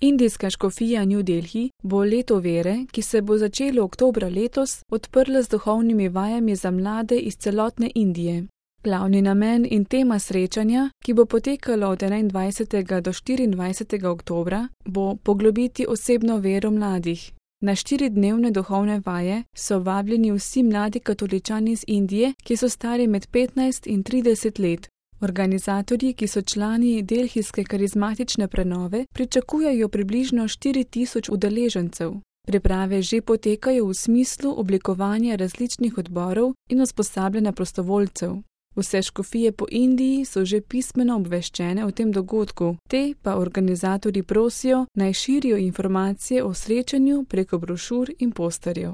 Indijska škofija New Delhi bo leto vere, ki se bo začelo oktobra letos, odprla z duhovnimi vajami za mlade iz celotne Indije. Glavni namen in tema srečanja, ki bo potekalo od 21. do 24. oktobra, bo poglobiti osebno vero mladih. Na 4-dnevne duhovne vaje so vabljeni vsi mladi katoličani iz Indije, ki so stari med 15 in 30 let. Organizatorji, ki so člani delhijske karizmatične prenove, pričakujejo približno 4000 udeležencev. Priprave že potekajo v smislu oblikovanja različnih odborov in usposabljanja prostovoljcev. Vse škofije po Indiji so že pismeno obveščene o tem dogodku, te pa organizatorji prosijo, naj širijo informacije o srečanju preko brošur in posterjev.